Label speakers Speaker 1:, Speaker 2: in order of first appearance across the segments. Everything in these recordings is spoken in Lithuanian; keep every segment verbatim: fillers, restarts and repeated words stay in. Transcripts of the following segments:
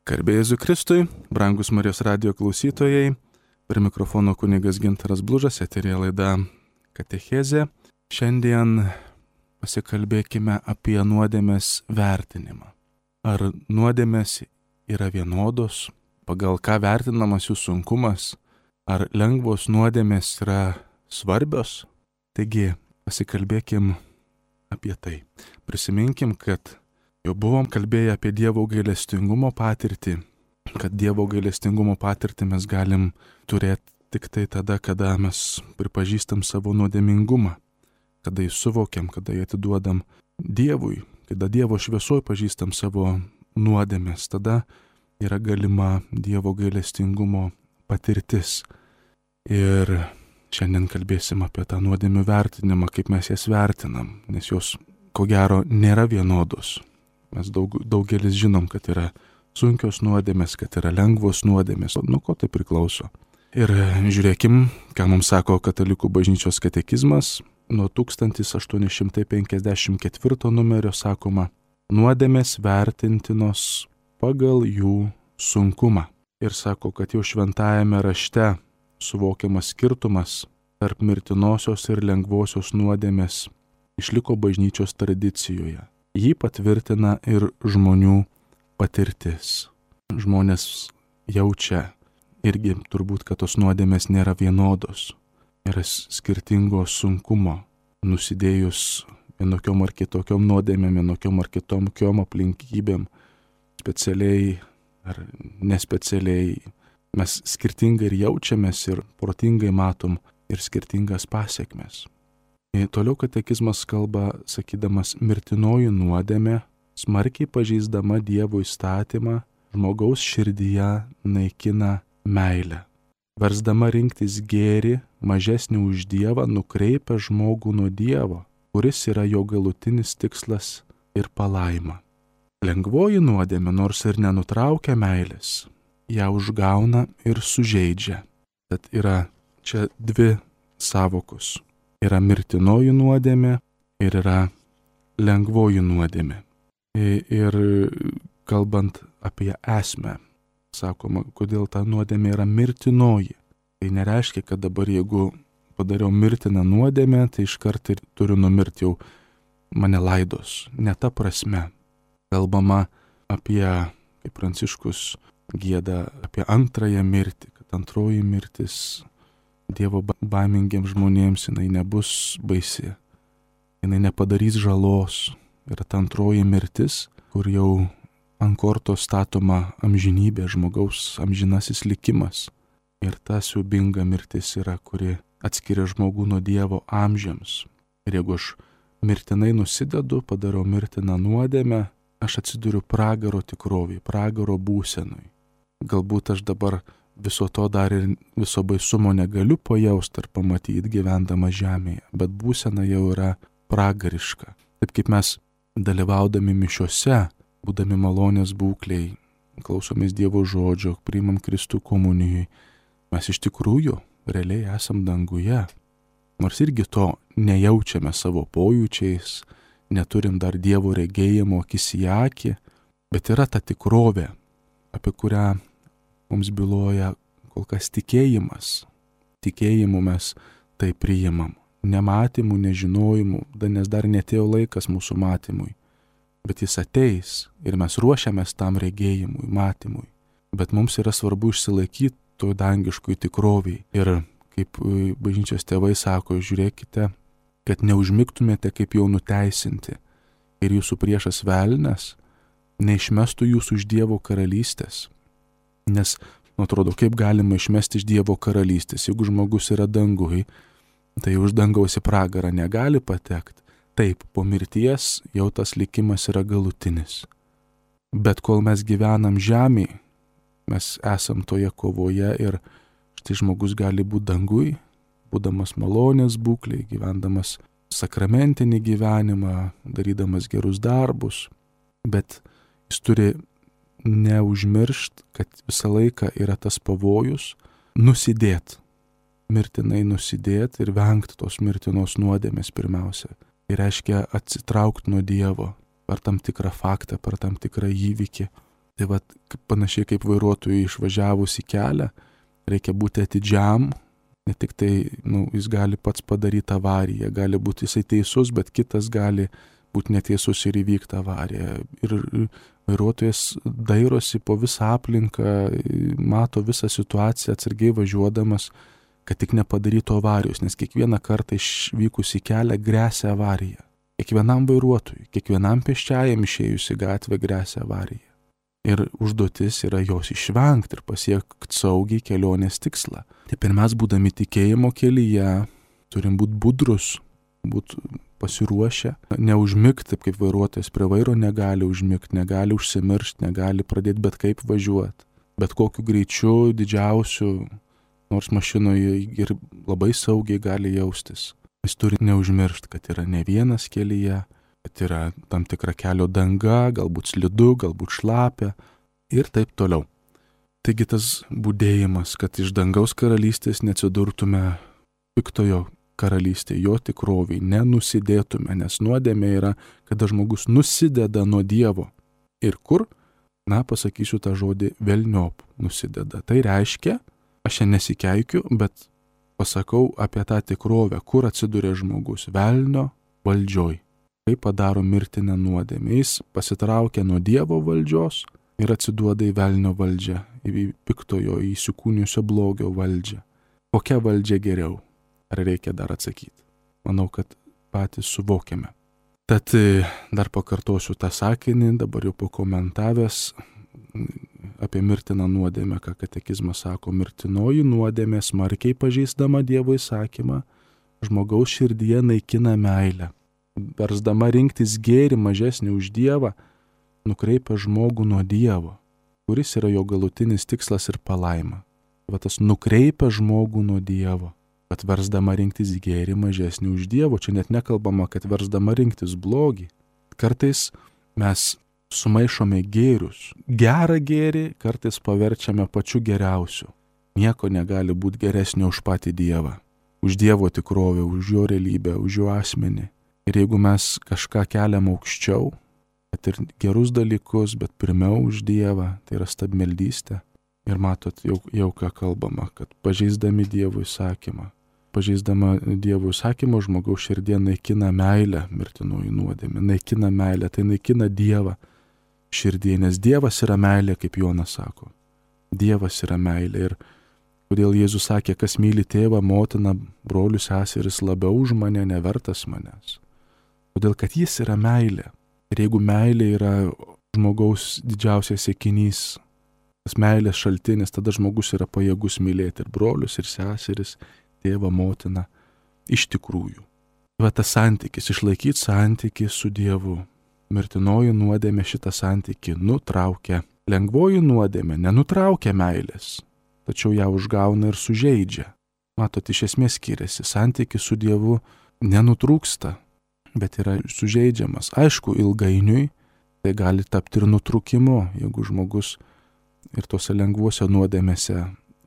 Speaker 1: Garbė Jėzui Kristui, brangus Marijos radijo klausytojai, prie mikrofono kunigas Gintaras Blužas, eterija laida Katechezė. Šiandien pasikalbėkime apie nuodėmės vertinimą. Ar nuodėmės yra vienodos, pagal ką vertinamas jų sunkumas, ar lengvos nuodėmės yra svarbios? Taigi, pasikalbėkim apie tai. Prisiminkim, kad jau buvom kalbėję apie Dievo gailestingumo patirtį, kad Dievo gailestingumo patirtį mes galim turėti tik tai tada, kada mes pripažįstam savo nuodėmingumą, kada jį suvokiam, kada jį atiduodam Dievui, kada Dievo šviesoj pažįstam savo nuodėmės, tada yra galima Dievo gailestingumo patirtis. Ir šiandien kalbėsim apie tą nuodėmių vertinimą, kaip mes jas vertinam, nes jos, ko gero, nėra vienodos. Mes daug, daugelis žinom, kad yra sunkios nuodėmės, kad yra lengvos nuodėmės, nuo ko tai priklauso. Ir žiūrėkim, ką mums sako Katalikų bažnyčios katekizmas. Nuo tūkstantis aštuoni šimtai penkiasdešimt ketvirto numerio sakoma, nuodėmės vertintinos pagal jų sunkumą. Ir sako, kad jau šventajame rašte suvokiamas skirtumas tarp mirtinosios ir lengvosios nuodėmės išliko bažnyčios tradicijoje. Jį patvirtina ir žmonių patirtis. Žmonės jaučia irgi turbūt, kad tos nuodėmės nėra vienodos. Yra skirtingo sunkumo, nusidėjus vienokiom ar kitokiom nuodėmėm, vienokiom ar kitokiom aplinkybėm, specialiai ar nespecialiai. Mes skirtingai ir jaučiamės ir protingai matom ir skirtingas pasiekmes. Ir toliau katekizmas kalba, sakydamas, mirtinoji nuodėmė, smarkiai pažeisdama Dievo įstatymą, žmogaus širdyje naikina meilę. Versdama rinktis gėrį, mažesnį už Dievą, nukreipia žmogų nuo Dievo, kuris yra jo galutinis tikslas ir palaima. Lengvoji nuodėmė, nors ir nenutraukia meilės, ją užgauna ir sužeidžia. Tad yra čia dvi sąvokos. Yra mirtinoji nuodėmė ir yra lengvoji nuodėmė. Ir kalbant apie esmę, sakoma, kodėl ta nuodėmė yra mirtinoji. Tai nereiškia, kad dabar jeigu padariau mirtiną nuodėmę, tai iškart ir turiu numirti, jau mane laidos. Ne ta prasme. Kalbama apie, kaip Pranciškus gieda, apie antrąją mirtį, kad antroji mirtis Dievo baimingiams žmonėms jinai nebus baisi, jinai nepadarys žalos. Yra ta antroji mirtis, kur jau ant kortos statoma amžinybė, žmogaus amžinasis likimas. Ir ta siaubinga mirtis yra, kuri atskiria žmogų nuo Dievo amžiams. Ir jeigu aš mirtinai nusidedu, padarau mirtiną nuodėmę, aš atsiduriu pragaro tikrovėje, pragaro būsenui. Galbūt aš dabar viso to dar ir viso baisumo negaliu pajausti ar pamatyti gyvendama žemėje, bet būsena jau yra pragariška. Taip kaip mes dalyvaudami mišiose, būdami malonės būkliai, klausomės Dievo žodžio, priimam Kristų komunijai, mes iš tikrųjų realiai esam danguje. Nors irgi to nejaučiame savo pojūčiais, neturim dar Dievo regėjimo akis į akį, bet yra ta tikrovė, apie kurią mums byloja kol kas tikėjimas. Tikėjimu mes tai priimam. Nematymu, nežinojimu, nes dar netėjo laikas mūsų matymui. Bet jis ateis ir mes ruošiamės tam regėjimui, matymui. Bet mums yra svarbu išsilaikyti to dangiškui tikroviai. Ir kaip bažnyčios tėvai sako, žiūrėkite, kad neužmigtumėte kaip jau nuteisinti. Ir jūsų priešas velnias neišmestų jūsų iš Dievo karalystės. Nes, nu, atrodo, kaip galima išmesti iš Dievo karalystės, jeigu žmogus yra dangui, tai už dangaus į pragarą negali patekti. Taip, po mirties jau tas likimas yra galutinis. Bet kol mes gyvenam žemėje, mes esam toje kovoje ir štai žmogus gali būti dangui, būdamas malonės būklėje, gyvendamas sakramentinį gyvenimą, darydamas gerus darbus, bet jis turi neužmiršt, kad visą laiką yra tas pavojus nusidėt, mirtinai nusidėt ir vengti tos mirtinos nuodėmės pirmiausia. Tai reiškia atsitraukti nuo Dievo per tam tikrą faktą, per tam tikrą įvykį. Tai va, panašiai kaip vairuotojui išvažiavus į kelią, reikia būti atidžiam, ne tik tai, nu, jis gali pats padaryti avariją, gali būti jisai teisus, bet kitas gali būti neteisus ir įvykti avariją. Ir vairuotojas dairosi po visą aplinką, mato visą situaciją atsargiai važiuodamas, kad tik nepadarytų avarijos, nes kiekvieną kartą išvykus į kelią gresia avarija. Kiekvienam vairuotojui, kiekvienam pėsčiajam išėjus į gatvę gresia avarija. Ir užduotis yra jos išvengti ir pasiekti saugiai kelionės tikslą. Taip ir mes, būdami tikėjimo kelyje, turim būti budrus, būti pasiruošę, neužmigti, taip kaip vairuotojas prie vairo negali užmigti, negali užsimiršti, negali pradėti bet kaip važiuoti. Bet kokiu greičiu, didžiausiu, nors mašinoje ir labai saugiai gali jaustis. Jis turi neužmiršti, kad yra ne vienas kelyje, kad yra tam tikra kelio danga, galbūt slidu, galbūt šlapia ir taip toliau. Taigi tas budėjimas, kad iš dangaus karalystės neatsidurtume piktojo karalystėje, jo tikroviai, nenusidėtume, nes nuodėmė yra, kada žmogus nusideda nuo Dievo. Ir kur? Na, pasakysiu tą žodį velniop nusideda. Tai reiškia, aš čia nesikeikiu, bet pasakau apie tą tikrovę, kur atsiduria žmogus velnio valdžioj. Kaip padaro mirtinę nuodėmę. Jis pasitraukia nuo Dievo valdžios ir atsiduoda į velnio valdžią, į piktojo, į įsikūnijusio blogio valdžią. Kokia valdžia geriau? Ar reikia dar atsakyti? Manau, kad patys suvokiame. Tad dar pakartosiu tą sakinį, dabar jau pakomentavęs apie mirtiną nuodėmę, ką katekizmas sako, mirtinoji nuodėmė smarkiai pažeisdama Dievo įsakymą, žmogaus širdyje naikina meilę. Versdama rinktis gėrį mažesnį už Dievą, nukreipia žmogų nuo Dievo, kuris yra jo galutinis tikslas ir palaima. Va tas nukreipia žmogų nuo Dievo, kad versdama rinktis gėrį mažesnį už Dievo, čia net nekalbama, kad versdama rinktis blogį. Kartais mes sumaišome gėrius. Gerą gėrį kartais paverčiame pačiu geriausiu. Nieko negali būti geresnio už patį Dievą, už Dievo tikrovę, už jo realybę, už jo asmenį. Ir jeigu mes kažką keliam aukščiau, kad ir gerus dalykus, bet pirmiau už Dievą, tai yra stabmeldystė. Ir matot, jau, jau ką kalbama, kad pažeisdami Dievo įsakymą, pažeisdama Dievo įsakymą, žmogaus širdie naikina meilę, mirtinoji nuodėmė, naikina meilę, tai naikina Dievą širdie, nes Dievas yra meilė, kaip Jonas sako. Dievas yra meilė. Ir kodėl Jėzus sakė, kas myli tėvą, motiną, brolius, seseris labiau už mane, nevertas manęs. Todėl, kad jis yra meilė. Ir jeigu meilė yra žmogaus didžiausias siekinys, tas meilės šaltinis, tada žmogus yra pajėgus mylėti ir brolius, ir seseris, tėvą, motiną, iš tikrųjų. Va tas santykis, išlaikyti santykį su Dievu. Mirtinoji nuodėmė šitą santykį nutraukia. Lengvoji nuodėmė nenutraukia meilės, tačiau ją užgauna ir sužeidžia. Matot, iš esmės skiriasi. Santykis su Dievu nenutrūksta, bet yra sužeidžiamas. Aišku, ilgainiui tai gali tapti ir nutrūkimu, jeigu žmogus ir tose lengvuose nuodėmėse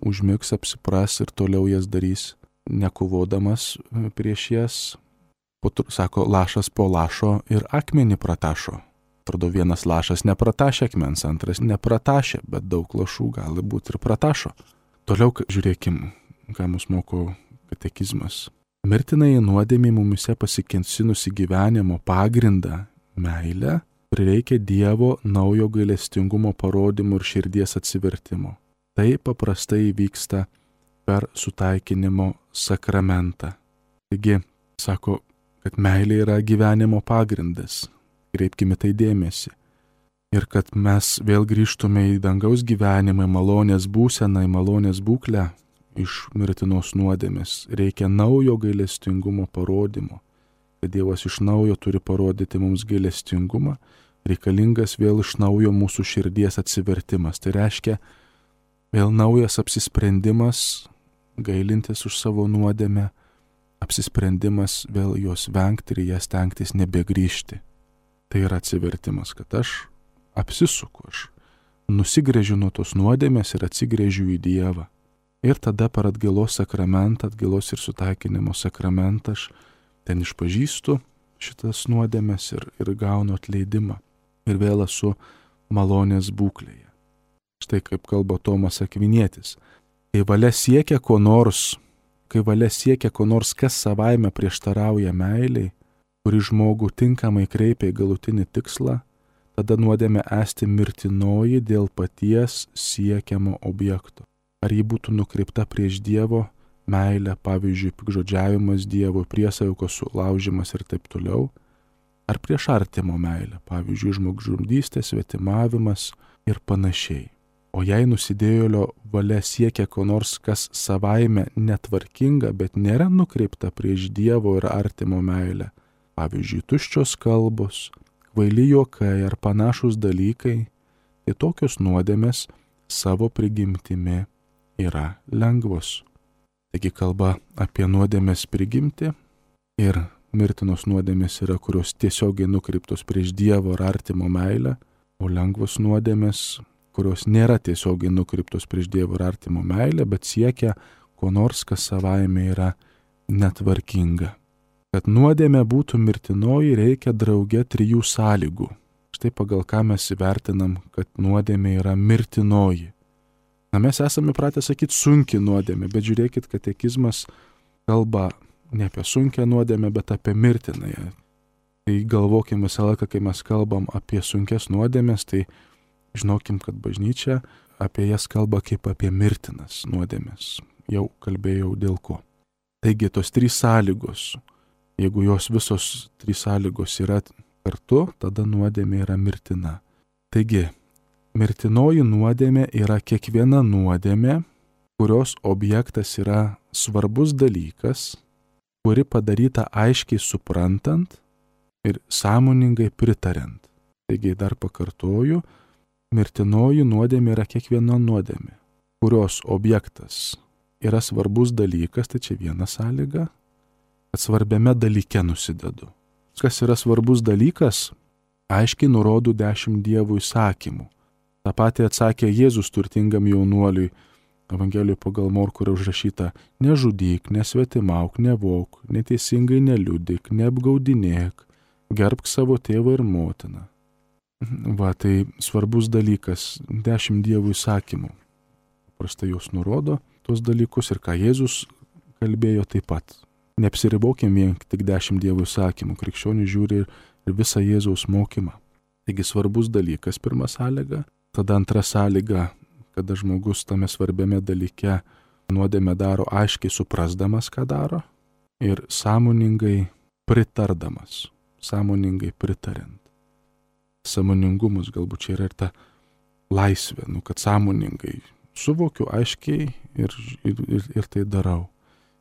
Speaker 1: užmigs, apsipras ir toliau jas darys, nekovodamas prieš jas. Po, sako, lašas po lašo ir akmenį pratašo. Atrodo, vienas lašas nepratašė akmens, antras nepratašė, bet daug lašų gali būti ir pratašo. Toliau žiūrėkim, ką mus moko katekizmas. Mirtinai nuodėmė mumise pasikensinusi gyvenimo pagrindą meilę prireikia Dievo naujo gailestingumo parodymų ir širdies atsivertimo. Tai paprastai vyksta per sutaikinimo sakramentą. Taigi, sako, kad meilė yra gyvenimo pagrindas. Kreipkime tai dėmesį. Ir kad mes vėl grįžtume į dangaus gyvenimą, malonės būseną, malonės būklę iš mirtinos nuodėmės. Reikia naujo gailestingumo parodymo. Kad Dievas iš naujo turi parodyti mums gailestingumą, reikalingas vėl iš naujo mūsų širdies atsivertimas. Tai reiškia vėl naujas apsisprendimas, gailintis už savo nuodėmę, apsisprendimas vėl jos vengti ir jas stengtis nebegrįžti. Tai yra atsivertimas, kad aš apsisuku, aš nusigręžiu nuo tos nuodėmės ir atsigręžiu į Dievą. Ir tada per atgailos sakramentą, atgailos ir sutaikinimo sakramentą aš ten išpažįstu šitas nuodėmės ir, ir gaunu atleidimą. Ir vėl esu malonės būklėje. Štai kaip kalba Tomas Akvinietis. Kai valia siekia ko nors, kai valia siekia ko nors, kas savaime prieštarauja meiliai, kuri žmogų tinkamai kreipia į galutinį tikslą, tada nuodėmė esti mirtinoji dėl paties siekiamo objekto. Ar ji būtų nukreipta prieš Dievo meilę, pavyzdžiui, pikžodžiavimas Dievo, priesaikos sulaužimas ir taip toliau, ar prieš artimo meilę, pavyzdžiui, žmogžudystė, svetimavimas ir panašiai. O jei nusidėjėlio valia siekia ko nors, kas savaime netvarkinga, bet nėra nukreipta prieš Dievo ir artimo meilę, pavyzdžiui, tuščios kalbos, kvaili juokai ar panašus dalykai, tai tokios nuodėmės savo prigimtimi yra lengvos. Taigi kalba apie nuodėmės prigimtį ir mirtinos nuodėmės yra, kurios tiesiogiai nukreiptos prieš Dievo ir artimo meilę, o lengvos nuodėmės, kurios nėra tiesiogiai nukreiptos prieš Dievo ir artimo meilę, bet siekia ko nors, kas savaime yra netvarkinga. Kad nuodėmė būtų mirtinoji, reikia drauge trijų sąlygų. Štai pagal ką mes įvertinam, kad nuodėmė yra mirtinoji. Na, mes esame pratę sakyti sunki nuodėmė, bet žiūrėkit, katekizmas kalba ne apie sunkią nuodėmę, bet apie mirtinąją. Tai galvokim visą laiką, kai mes kalbam apie sunkes nuodėmės, tai žinokim, kad bažnyčia apie jas kalba kaip apie mirtinas nuodėmės. Jau kalbėjau dėl ko. Taigi tos trys sąlygos, jeigu jos visos trys sąlygos yra kartu, tada nuodėmė yra mirtina. Taigi, mirtinoji nuodėmė yra kiekviena nuodėmė, kurios objektas yra svarbus dalykas, kuri padaryta aiškiai suprantant ir sąmoningai pritariant. Taigi dar pakartoju, mirtinoji nuodėmė yra kiekviena nuodėmė, kurios objektas yra svarbus dalykas, tai čia viena sąlyga, kad svarbiame dalyke nusidedu. Kas yra svarbus dalykas, aiškiai nurodo dešimt Dievo įsakymų. Ta pati atsakė Jėzus turtingam jaunuoliui, Evangelijoje pagal Morkų yra užrašyta: nežudyk, nesvetimauk, nevok, neteisingai neliudyk, neapgaudinėk, gerbk savo tėvą ir motiną. Va, tai svarbus dalykas, dešimt Dievo įsakymų. Paprastai jos nurodo tuos dalykus ir ką Jėzus kalbėjo taip pat. Neapsiribokim vien tik dešimt Dievo įsakymų, krikščionys žiūri ir visą Jėzaus mokymą. Taigi svarbus dalykas, pirma sąlyga, tada antra sąlyga, kada žmogus tame svarbiame dalyke nuodėmę daro aiškiai suprasdamas, ką daro, ir sąmoningai pritardamas, sąmoningai pritarint. Sąmoningumas galbūt čia yra ir ta laisvė, nu, kad sąmoningai suvokiu aiškiai ir, ir, ir, ir tai darau.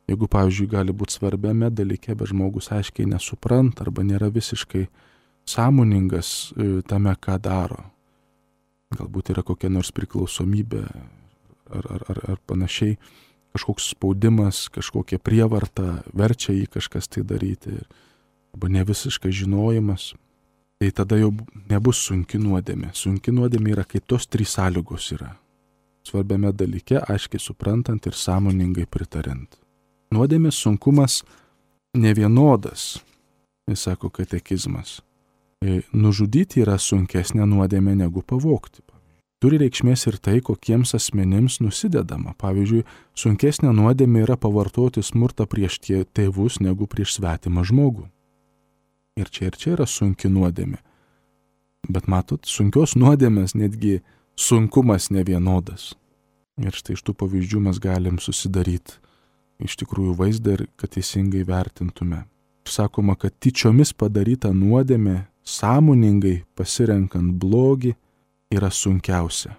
Speaker 1: Jeigu, pavyzdžiui, gali būti svarbiame dalyke, bet žmogus aiškiai nesupranta arba nėra visiškai sąmoningas tame, ką daro. Galbūt yra kokia nors priklausomybė ar, ar, ar, ar panašiai, kažkoks spaudimas, kažkokia prievarta verčia jį kažkas tai daryti, arba ne visiškai žinojimas. Tai tada jau nebus sunki nuodėmė. Sunki nuodėmė yra, kai tos trys sąlygos yra. Svarbiame dalyke, aiškiai suprantant ir sąmoningai pritarint. Nuodėmės sunkumas nevienodas, jis sako katekizmas. Nužudyti yra sunkesnė nuodėmė negu pavogti. Turi reikšmės ir tai, kokiems asmenims nusidedama. Pavyzdžiui, sunkesnė nuodėmė yra pavartoti smurtą prieš tėvus negu prieš svetimą žmogų. Ir čia ir čia yra sunki nuodėmė. Bet matot, sunkios nuodėmės netgi sunkumas nevienodas. Ir štai iš tų pavyzdžių mes galim susidaryti iš tikrųjų vaizdą ir kad teisingai vertintume. Sakoma, kad tyčiomis padaryta nuodėmė, sąmoningai pasirenkant blogį, yra sunkiausia.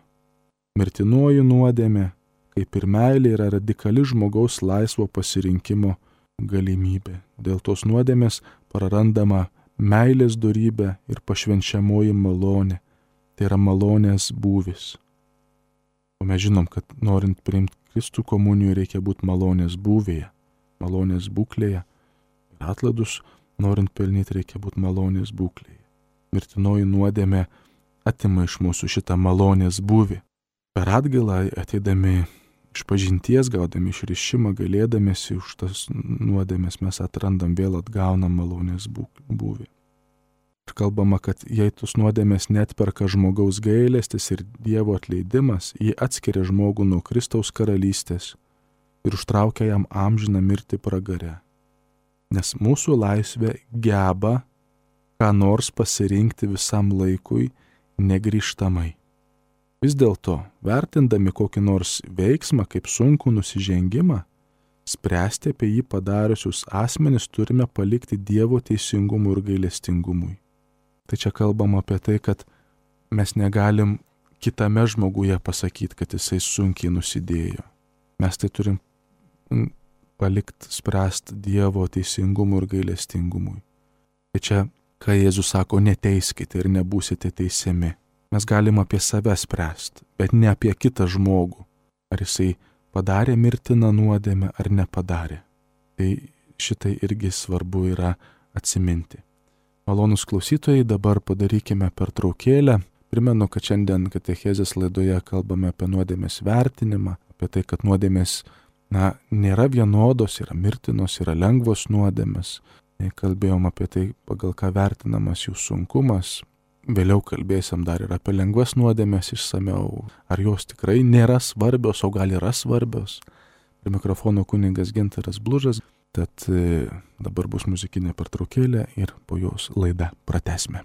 Speaker 1: Mirtinoji nuodėmė, kaip ir meilė, yra radikali žmogaus laisvo pasirinkimo galimybė. Dėl tos nuodėmės prarandama meilės dorybė ir pašvenčiamoji malonė. Tai yra malonės būvis. O mes žinom, kad norint priimti Kristų komunijų reikia būti malonės būvėje, malonės būklėje. Ir atlaidus norint pelnyti reikia būti malonės būklėje. Mirtinoji nuodėmė atima iš mūsų šitą malonės būvį. Per atgailą ateidami iš pažinties, gaudami išrišimą, gailėdamiesi už tas nuodėmės, mes atrandam vėl atgaunam malonės būvį. Ir kalbama, kad jei tos nuodėmės neatperka žmogaus gailestis ir Dievo atleidimas, jį atskiria žmogų nuo Kristaus karalystės ir užtraukia jam amžiną mirtį pragare. Nes mūsų laisvė geba ką nors pasirinkti visam laikui negrįžtamai. Vis dėlto, vertindami kokį nors veiksmą kaip sunkų nusižengimą, spręsti apie jį padariusius asmenis turime palikti Dievo teisingumui ir gailestingumui. Tai čia kalbam apie tai, kad mes negalim kitame žmoguje pasakyti, kad jisai sunkiai nusidėjo. Mes tai turim palikti spręsti Dievo teisingumui ir gailestingumui. Tai čia, ką Jėzus sako, neteiskite ir nebūsite teisiami. Mes galim apie save spręsti, bet ne apie kitą žmogų. Ar jisai padarė mirtiną nuodėmę ar nepadarė. Tai šitai irgi svarbu yra atsiminti. Malonūs klausytojai, dabar padarykime pertraukėlę. Primenu, kad šiandien katechezės laidoje kalbame apie nuodėmės vertinimą, apie tai, kad nuodėmės na, nėra vienodos, yra mirtinos, yra lengvos nuodėmės. Kalbėjom apie tai, pagal ką vertinamas jų sunkumas. Vėliau kalbėsim dar ir apie lengvas nuodėmės išsameu. Ar jos tikrai nėra svarbios, o gal yra svarbios. Prie mikrofono kunigas Gintaras Blužas. Tad dabar bus muzikinė pertraukėlė ir po jos laidą pratęsime.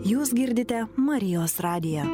Speaker 2: Jūs girdite Marijos radiją.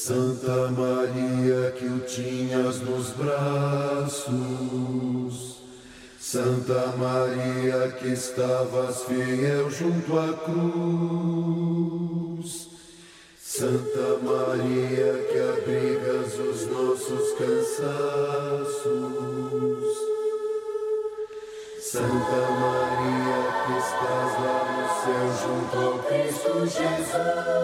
Speaker 3: Santa Maria, que o tinhas nos braços, Santa Maria, que estavas fiel junto à cruz, Santa Maria, que abrigas os nossos cansaços, Santa Maria, que estás lá no céu junto ao Cristo Jesus.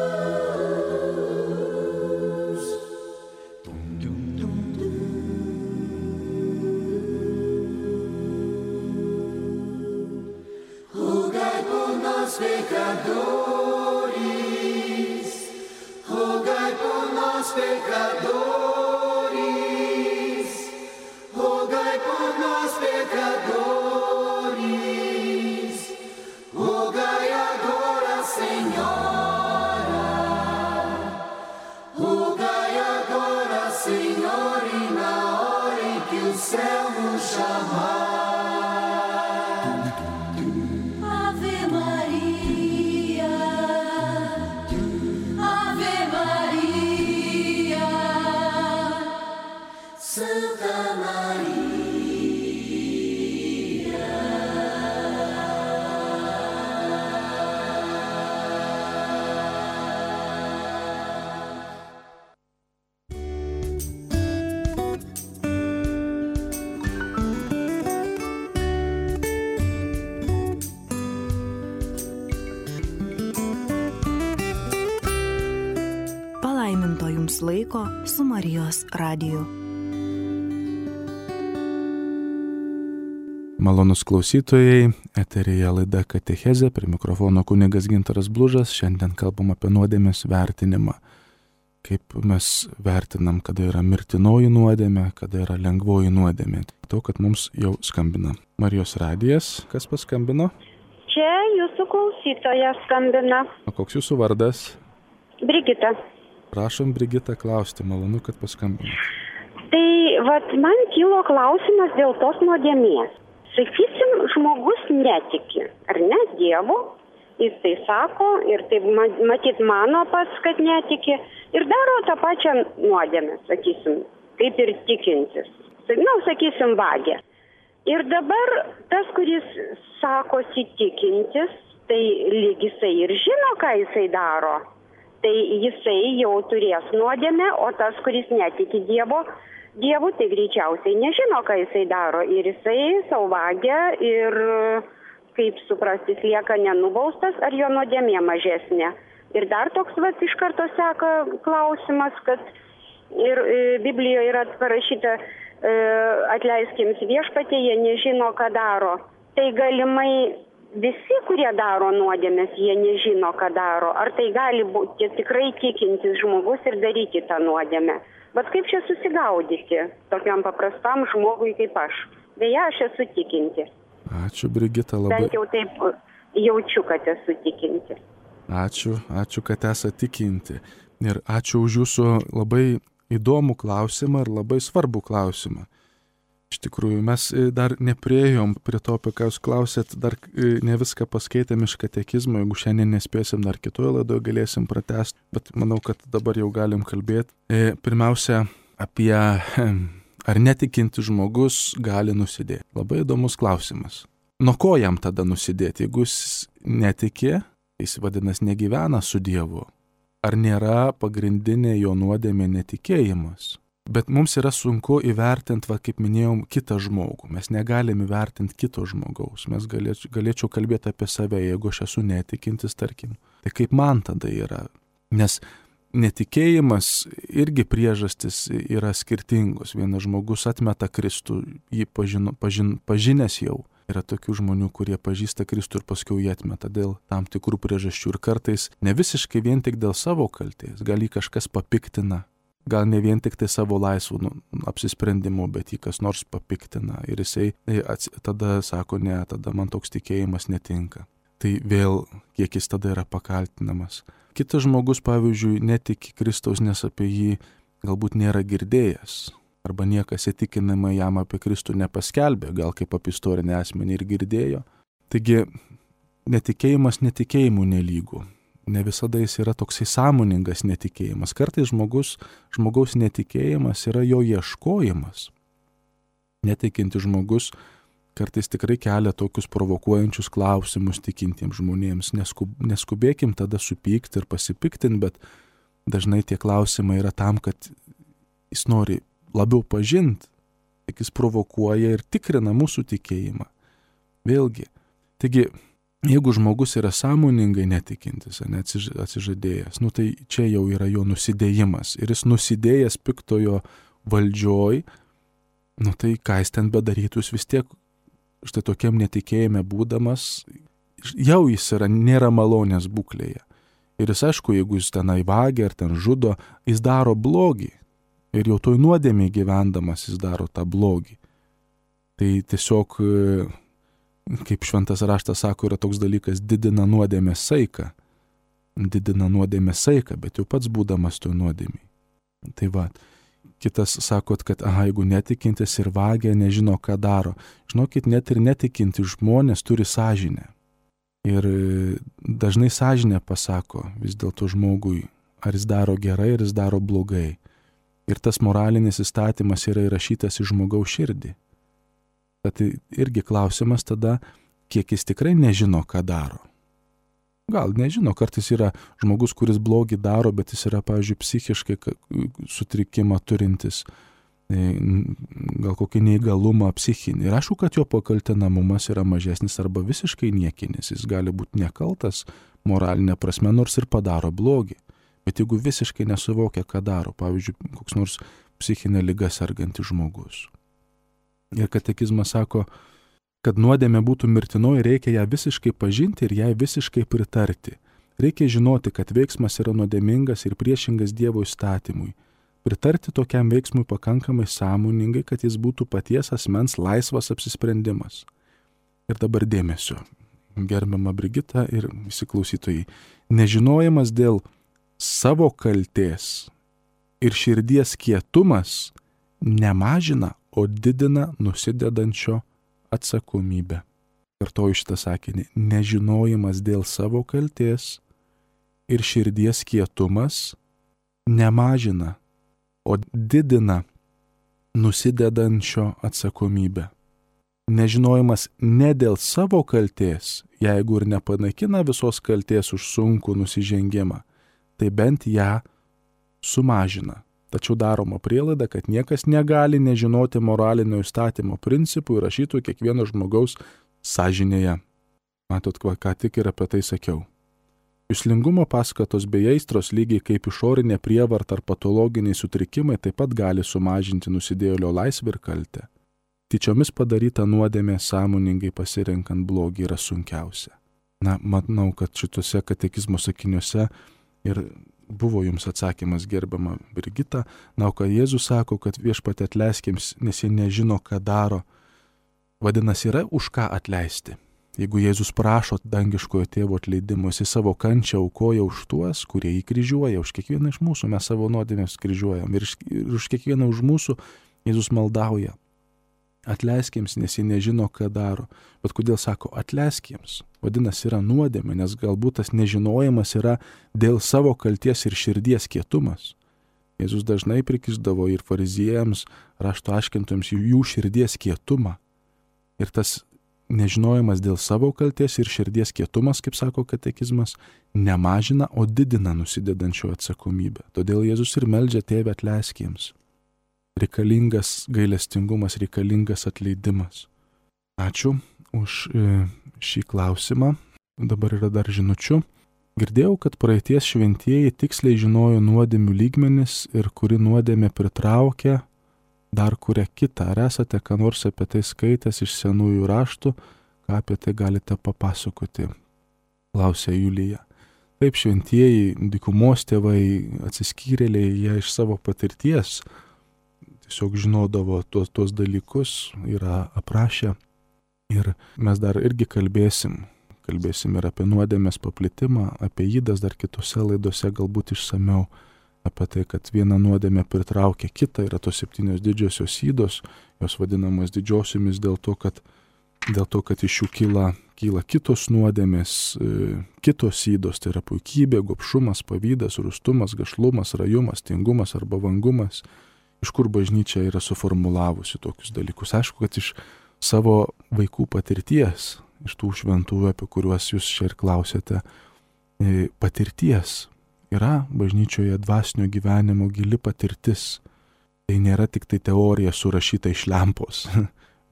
Speaker 3: Pecadores, rogai por nós pecadores, rogai por nós pecadores, rogai agora, Senhora, rogai agora, Senhor, e na hora em que o céu nos chamar.
Speaker 2: Palaiminto jums laiko su Marijos radiju.
Speaker 1: Malonus klausytojai, eteryje laida Katechezė, prie mikrofono kunigas Gintaras Blužas. Šiandien kalbam apie nuodėmės vertinimą. Kaip mes vertinam, kada yra mirtinoji nuodėmė, kada yra lengvoji nuodėmė. To, kad mums jau skambina Marijos radijas. Kas paskambino?
Speaker 4: Čia jūsų klausytoja skambina.
Speaker 1: O koks jūsų vardas?
Speaker 4: Brigita.
Speaker 1: Prašom, Brigita, klausti. Malonu, kad paskambino.
Speaker 4: Tai vat man kilo klausimas dėl tos nuodėmės. Sakysim, žmogus netiki, ar ne, Dievu, jis tai sako ir taip matyt mano pats, kad netiki ir daro tą pačią nuodėmę, sakysim, kaip ir tikintis. Na, sakysim, vagia. Ir dabar tas, kuris sakosi tikintis, tai lyg jisai ir žino, ką jisai daro. Tai jisai jau turės nuodėmę, o tas, kuris netiki Dievo, Dievu, tai greičiausiai nežino, ką jisai daro. Ir jisai savo vagia ir, kaip suprasti, lieka nenubaustas, ar jo nuodėmė mažesnė. Ir dar toks vat iš karto seka klausimas, kad ir e, Biblijoje yra parašyta, e, atleiskime viešpatie, jie nežino, ką daro. Tai galimai visi, kurie daro nuodėmės, jie nežino, ką daro. Ar tai gali būti tikrai tikintis žmogus ir daryti tą nuodėmę. Bet kaip čia susigaudyti tokiam paprastam žmogui kaip aš? Beje, aš esu tikinti.
Speaker 1: Ačiū, Brigita, labai.
Speaker 4: Bent jau taip jaučiu, kad esu tikinti.
Speaker 1: Ačiū, ačiū, kad esate tikinti. Ir ačiū už jūsų labai įdomų klausimą ir labai svarbų klausimą. Iš tikrųjų, mes dar nepriejom prie to, apie ką jūs klausėt, dar ne viską paskaitėm iš katekizmo, jeigu šiandien nespėsim, dar kitoje laidoje galėsim pratęsti, bet manau, kad dabar jau galim kalbėti. Pirmiausia, apie ar netikinti žmogus gali nusidėti. Labai įdomus klausimas. Nuo ko jam tada nusidėti? Jeigu jis netikė, jis vadinasi negyvena su Dievu. Ar nėra pagrindinė jo nuodėmė netikėjimas? Bet mums yra sunku įvertinti, va, kaip minėjom, kitą žmogų. Mes negalim įvertinti kito žmogaus. Mes galėčiau, galėčiau kalbėti apie save, jeigu aš esu netikintis, tarkim. Tai kaip man tada yra? Nes netikėjimas irgi priežastis yra skirtingos. Vienas žmogus atmeta Kristų, jį pažino, pažin, pažinęs jau. Yra tokių žmonių, kurie pažįsta Kristų ir paskui jį atmeta dėl tam tikrų priežasčių. Ir kartais ne visiškai vien tik dėl savo kaltės. Gal jį kažkas papiktina. Gal ne vien tik tai savo laisvų nu, apsisprendimų, bet jį kas nors papiktina. Ir jisai tada sako, ne, tada man toks tikėjimas netinka. Tai vėl, kiek jis tada yra pakaltinamas. Kitas žmogus, pavyzdžiui, netiki Kristaus, nes apie jį galbūt nėra girdėjęs. Arba niekas įtikinamai jam apie Kristų nepaskelbė, gal kaip apie istorinę asmenį ir girdėjo. Taigi, netikėjimas netikėjimu nelygų. Ne visada jis yra toksai sąmoningas netikėjimas. Kartais žmogus, žmogaus netikėjimas yra jo ieškojimas. Netikinti žmogus kartais tikrai kelia tokius provokuojančius klausimus tikintiems žmonėms. Neskub, neskubėkim tada supykti ir pasipiktinti, bet dažnai tie klausimai yra tam, kad jis nori labiau pažinti, tik jis provokuoja ir tikrina mūsų tikėjimą. Vėlgi, taigi, jeigu žmogus yra sąmoningai netikintis, ne, atsižadėjęs, nu tai čia jau yra jo nusidėjimas. Ir jis nusidėjęs piktojo valdžioj, nu tai ką jis ten bedarytų, jis vis tiek štai tokiam netikėjime būdamas, jau jis yra, nėra malonės būklėje. Ir jis, aišku, jeigu jis tenai vagia ar ten žudo, jis daro blogį. Ir jau toj nuodėmėj gyvendamas jis daro tą blogį. Tai tiesiog, kaip šventas raštas sako, yra toks dalykas, didina nuodėmės saiką. Didina nuodėmės saiką, bet jau pats būdamas toj nuodėmėj. Tai va, kitas sakot, kad aha, jeigu netikintis ir vagia, nežino, ką daro. Žinokit, net ir netikinti žmonės turi sąžinę. Ir dažnai sąžinė pasako vis dėlto žmogui, ar jis daro gerai, ar jis daro blogai. Ir tas moralinis įstatymas yra įrašytas į žmogaus širdį. Tad irgi klausimas tada, kiek jis tikrai nežino, ką daro. Gal nežino, kartais yra žmogus, kuris blogį daro, bet jis yra, pavyzdžiui, psichiškai sutrikimą turintis, gal kokį neįgalumą psichinį. Ir aišku, kad jo pakaltinamumas yra mažesnis arba visiškai niekinis. Jis gali būti nekaltas moralinė prasme, nors ir padaro blogį. Bet jeigu visiškai nesuvokia, ką daro, pavyzdžiui, koks nors psichinė liga sergantis žmogus. Ir katekizmas sako, Kad nuodėmė būtų mirtinoji, reikia ją visiškai pažinti ir jai visiškai pritarti. Reikia žinoti, kad veiksmas yra nuodėmingas ir priešingas Dievo įstatymui. Pritarti tokiam veiksmui pakankamai sąmoningai, kad jis būtų paties asmens laisvas apsisprendimas. Ir dabar dėmesio, gerbiama Brigita ir visi klausytojai. Nežinojimas dėl savo kaltės ir širdies kietumas nemažina, o didina nusidedančio atsakomybę. Kartoju šitą sakinį. Nežinojimas dėl savo kaltės ir širdies kietumas nemažina, o didina nusidedančio atsakomybę. Nežinojimas ne dėl savo kaltės, jeigu ir nepanaikina visos kaltės už sunkų nusižengimą, tai bent ją sumažina. Tačiau daroma prielaida, kad niekas negali nežinoti moralinio įstatymo principų įrašytų kiekvieno žmogaus sąžinėje. Matot, ką tik ir apie tai sakiau. Juslingumo paskatos bei aistros, lygiai kaip išorinė prievarta ar patologiniai sutrikimai, taip pat gali sumažinti nusidėjėlio laisvę ir kaltę. Tyčiomis padaryta nuodėmė sąmoningai pasirenkant blogį yra sunkiausia. Na, manau, kad šituose katekizmo sakiniuose ir buvo jums atsakymas, gerbiama Brigita. Na, o ką Jėzus sako, kad viešpatie atleiskiems, nes jie nežino, ką daro. Vadinasi, yra už ką atleisti. Jeigu Jėzus prašo dangiškojo tėvo atleidimo, jis savo kančią aukoja už tuos, kurie jį kryžiuoja. Už kiekvieną iš mūsų mes savo nuodėmės kryžiuojam. Ir už kiekvieną už mūsų Jėzus maldauja. Atleiskiems, nes jie nežino, ką daro. Bet kodėl sako atleiskiems? Vadinasi, yra nuodėmė, nes galbūt tas nežinojimas yra dėl savo kalties ir širdies kietumas. Jėzus dažnai prikišdavo ir fariziejams, rašto aiškintojams jų širdies kietumą. Ir tas nežinojimas dėl savo kalties ir širdies kietumas, kaip sako katekizmas, nemažina, o didina nusidedančio atsakomybę. Todėl Jėzus ir meldžia tėvę atleiskiems. Reikalingas gailestingumas, reikalingas atleidimas. Ačiū už šį klausimą. Dabar yra dar žinučių. Girdėjau, kad praeities šventieji tiksliai žinojo nuodėmių lygmenis ir kuri nuodėmė pritraukia, dar kuria kitą. Ar esate ką nors apie tai skaitęs iš senųjų raštų, ką apie tai galite papasakoti? Klausė Julija. Taip, šventieji, dykumos tėvai, atsiskyrėliai, jie iš savo patirties tiesiog žinodavo tuos, tuos dalykus, yra aprašę. Ir mes dar irgi kalbėsim, kalbėsim ir apie nuodėmės paplitimą, apie ydas dar kitose laidose galbūt išsamiau, apie tai, kad viena nuodėmė pritraukia kitą, yra tos septynios didžiosios ydos, jos vadinamos didžiosiomis dėl to, kad, dėl to, kad iš jų kyla, kyla kitos nuodėmės, kitos ydos, tai yra puikybė, gobšumas, pavydas, rūstumas, gašlumas, rajumas, tingumas arba vangumas. Iš kur bažnyčia yra suformulavusi tokius dalykus. Aišku, kad iš savo vaikų patirties, iš tų šventųjų, apie kuriuos jūs čia ir klausėte, patirties yra bažnyčioje dvasinio gyvenimo gili patirtis. Tai nėra tik tai teorija surašyta iš lempos,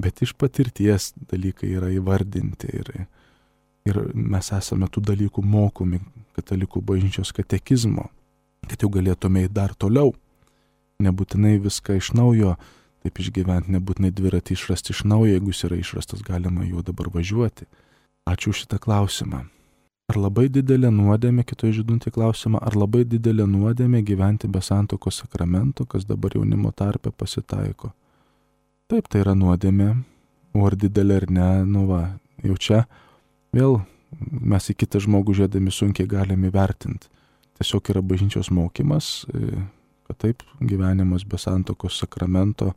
Speaker 1: bet iš patirties dalykai yra įvardinti. Ir, ir mes esame tų dalykų mokomi katalikų bažnyčios katekizmo, kad jau galėtume eiti dar toliau. Nebūtinai viską iš naujo taip išgyventi, nebūtinai dviratį išrasti iš naujo, jeigu jis yra išrastas, galima juo dabar važiuoti. Ačiū šitą klausimą. Ar labai didelė nuodėmė, kitoje žydunti klausimą, ar labai didelė nuodėmė gyventi be santuokos sakramento, kas dabar jaunimo tarpe pasitaiko? Taip, tai yra nuodėmė, o ar didelė ar ne, nu va, jau čia vėl mes į kitą žmogų žiūrėdami sunkiai galime įvertinti. Tiesiog yra bažnyčios mokymas, kad taip, gyvenimas be santuokos sakramento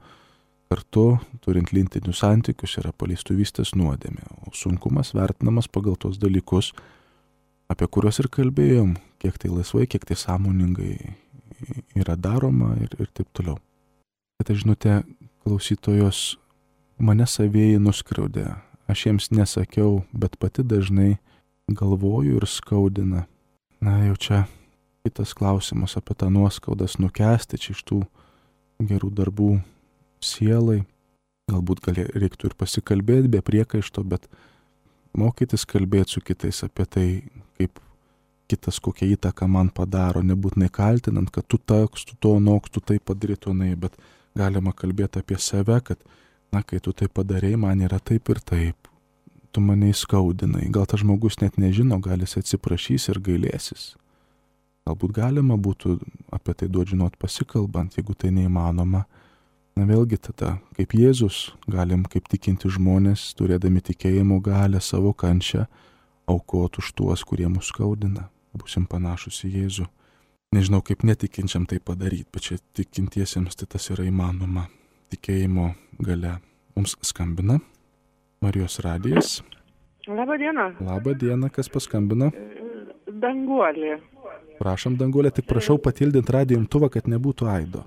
Speaker 1: kartu, turint lytinius santykius, yra paleistuvystės nuodėmė. O sunkumas vertinamas pagal tos dalykus, apie kuriuos ir kalbėjom, kiek tai laisvai, kiek tai sąmoningai yra daroma ir, ir taip toliau. Bet žinote, klausytojos, mane savieji nuskriaudė. Aš jiems nesakiau, bet pati dažnai galvoju ir skaudina. Na jau čia kitas klausimas apie tą nuoskaudas nukęsti čia iš tų gerų darbų sielai. Galbūt gali, reiktų ir pasikalbėti be priekaišto, bet mokytis kalbėti su kitais apie tai, kaip kitas kokią įtaką man padaro, nebūtinai kaltinant, kad tu toks, tu to noks, tu tai padarytų, bet galima kalbėti apie save, kad Na, kai tu tai padarei, man yra taip ir taip. Tu mane įskaudinai. Gal tas žmogus net nežino, gal jis atsiprašys ir gailėsis. Galbūt galima būtų apie tai duoti žinot pasikalbant, jeigu tai neįmanoma. Na vėlgi tada, kaip Jėzus, galim kaip tikinti žmonės, turėdami tikėjimo galę savo kančią, aukoti už tuos, kurie mus skaudina. Būsim panašus į Jėzų. Nežinau, kaip netikinčiam tai padaryti, bet čia tikintiesiems tai tas yra įmanoma. Tikėjimo gale. Mums skambina Marijos radijas.
Speaker 5: Labą dieną.
Speaker 1: Labą dieną, kas paskambino?
Speaker 5: Danguolė.
Speaker 1: Prašom, Danguolė, tik prašau patildinti radijo imtuvą, kad nebūtų aido.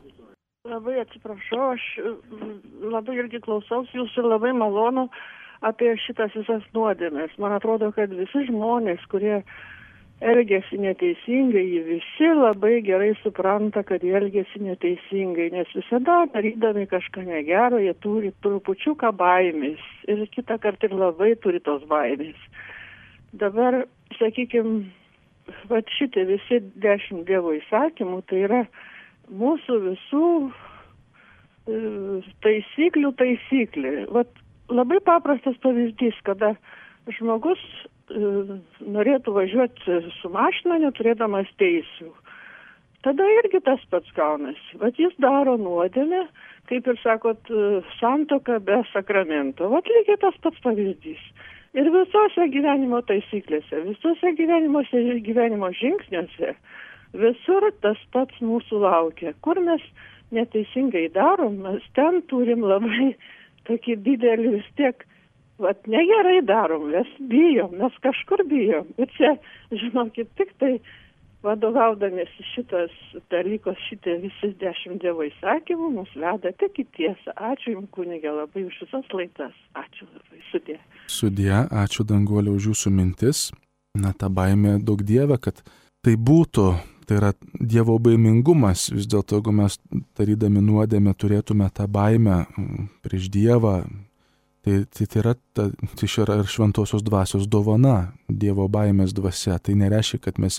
Speaker 5: Labai atsiprašau, aš labai irgi klausaus jūsų ir labai malonu apie šitas visas nuodėmes. Man atrodo, kad visi žmonės, kurie elgiasi neteisingai, jie visi labai gerai supranta, kad jie elgiasi neteisingai, nes visada darydami kažką negero, jie turi trupučiuką baimės ir kitą kartą ir labai turi tos baimės. Dabar, sakykime, va šitie visi dešimt Dievo įsakymų, tai yra mūsų visų taisyklių taisyklė. Vat labai paprastas pavyzdys, kada žmogus norėtų važiuoti su mašina, neturėdamas teisių. Tada irgi tas pats gaunasi. Vat jis daro nuodėmę, kaip ir sakot, santuoka be sakramento. Vat lygiai tas pats pavyzdys. Ir visose gyvenimo taisyklėse, visose gyvenimo, gyvenimo žingsniuose, visur tas pats mūsų laukia. Kur mes neteisingai darom, mes ten turim labai tokį didelį vis tiek, vat negerai darom, mes bijom, mes kažkur bijom. Ir čia, žinokit, tik tai vadovaudamėsi šitas dalykas, šitie visi dešimt Dievo įsakymų, mus veda tik į tiesą. Ačiū Jums, kunige, labai už visas laidas. Ačiū labai. Sudie.
Speaker 1: Sudie, ačiū Danguolė už jūsų mintis. Na, ta baimė daug Dieve, kad tai būtų, tai yra Dievo baimingumas. Vis dėlto, jeigu mes darydami nuodėmę turėtume tą baimę prieš Dievą, tai tai, tai yra, ta, tai yra ir šventosios dvasios dovana, Dievo baimės dvasia. Tai nereiškia, kad mes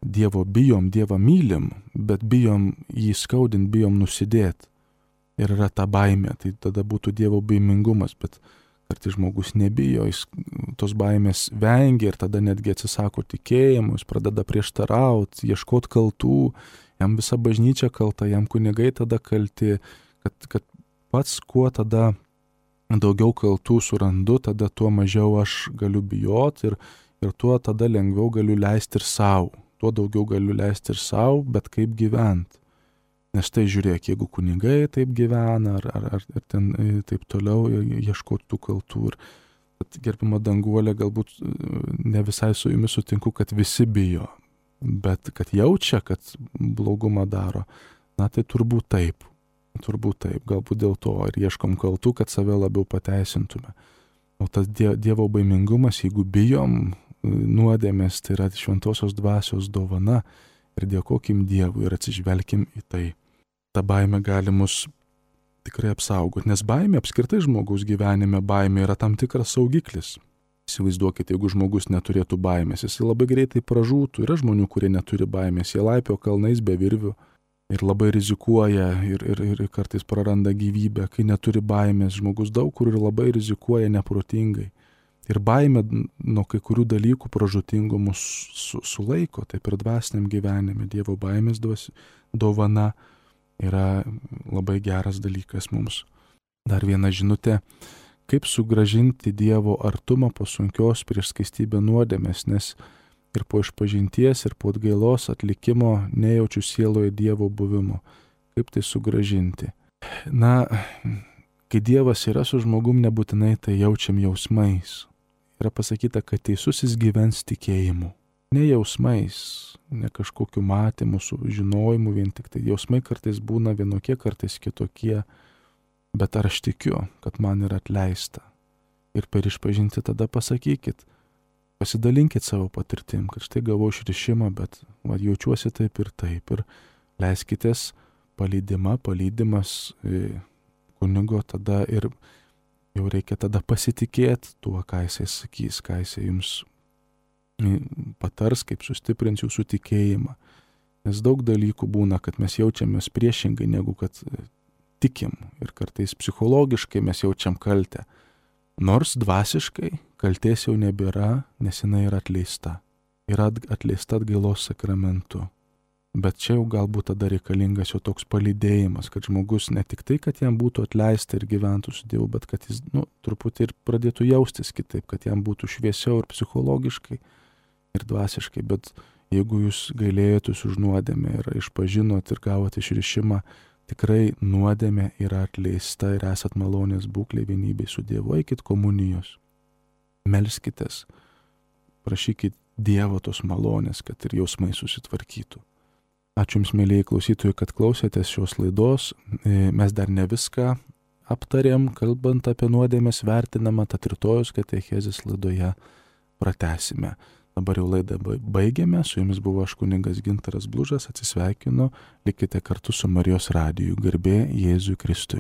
Speaker 1: Dievo bijom, Dievą mylim, bet bijom jį skaudint, bijom nusidėti. Ir yra ta baimė, tai tada būtų Dievo baimingumas, bet kartais žmogus nebijo, jis tos baimės vengia ir tada netgi atsisako tikėjimo, jis pradeda prieštarauti, ieškoti kaltų, jam visa bažnyčia kalta, jam kunigai tada kalti, kad, kad pats kuo tada daugiau kaltų surandu, tada tuo mažiau aš galiu bijoti ir, ir tuo tada lengviau galiu leisti ir savo. Tuo daugiau galiu leisti ir savo, bet kaip gyventi. Nes tai žiūrėk, jeigu kunigai taip gyvena, ar, ar, ar ten taip toliau ieškoti tų kaltų. Ir gerbima Danguolė, galbūt ne visai su jumis sutinku, kad visi bijo, bet kad jaučia, kad blogumą daro, na tai turbūt taip. Turbūt taip, galbūt dėl to ir ieškom kaltų, kad save labiau pateisintume. O tas Dievo baimingumas, jeigu bijom nuodėmės, tai yra šventosios dvasios dovana ir dėkokim Dievui ir atsižvelkim į tai. Ta baimė gali mus tikrai apsaugoti, nes baimė apskritai žmogaus gyvenime, baimė yra tam tikras saugiklis. Įsivaizduokite, jeigu žmogus neturėtų baimės, jis labai greitai pražūtų. Yra žmonių, kurie neturi baimės, jie laipio kalnais be virvių ir labai rizikuoja ir, ir, ir kartais praranda gyvybę. Kai neturi baimės, žmogus daug kur ir labai rizikuoja neprotingai. Ir baimė nuo kai kurių dalykų pražūtingų mus su, sulaiko, taip ir dvasiniam gyvenime. Dievo baimės dovana yra labai geras dalykas mums. Dar viena žinutė, kaip sugrąžinti Dievo artumą po sunkios prieš skaistybę nuodėmės, nes ir po išpažinties, ir po atgailos atlikimo nejaučiu sieloje Dievo buvimo. Kaip tai sugrąžinti? Na, kai Dievas yra su žmogum, nebūtinai tai jaučiam jausmais. Yra pasakyta, kad teisusis gyvens tikėjimu. Ne jausmais, ne kažkokiu matymu, su žinojimu, vien tik tai jausmai kartais būna vienokie, kartais kitokie, bet ar aš tikiu, kad man yra atleista. Ir per išpažinti tada pasakykit, pasidalinkit savo patirtim, kad štai gavau išrišimą, bet va, jaučiuosi taip ir taip. Ir leiskitės palydimą, palydimas kunigo tada ir jau reikia tada pasitikėti tuo, ką jisai sakys, ką jisai jums patars, kaip sustiprins jūsų tikėjimą. Nes daug dalykų būna, kad mes jaučiamės priešingai, negu kad tikim ir kartais psichologiškai mes jaučiam kaltę. Nors dvasiškai kaltės jau nebėra, nes jinai yra atleista. Yra atleista atgailos sakramentu. Bet čia jau galbūt tada reikalingas jau toks palydėjimas, kad žmogus ne tik tai, kad jam būtų atleista ir gyventų su Dievu, bet kad jis, nu, truputį ir pradėtų jaustis kitaip, kad jam būtų šviesiau ir psichologiškai, ir dvasiškai. Bet jeigu jūs gailėjotės už nuodėmę ir išpažinot ir gavote išrišimą, tikrai nuodėmė yra atleista ir esat malonės būklė vienybei su Dievu. Eikit komunijos, melskitės, prašykit Dievo tos malonės, kad ir jausmai susitvarkytų. Ačiū Jums, mėlyjei klausytojai, kad klausėtės šios laidos. Mes dar ne viską aptarėm, kalbant apie nuodėmės vertinamą, tad rytojus katechezės laidoje pratęsime. Dabar jau laidą baigėme, su Jumis buvo aš kunigas Gintaras Blužas, atsisveikinu, likite kartu su Marijos radiju, garbė Jėzui Kristui.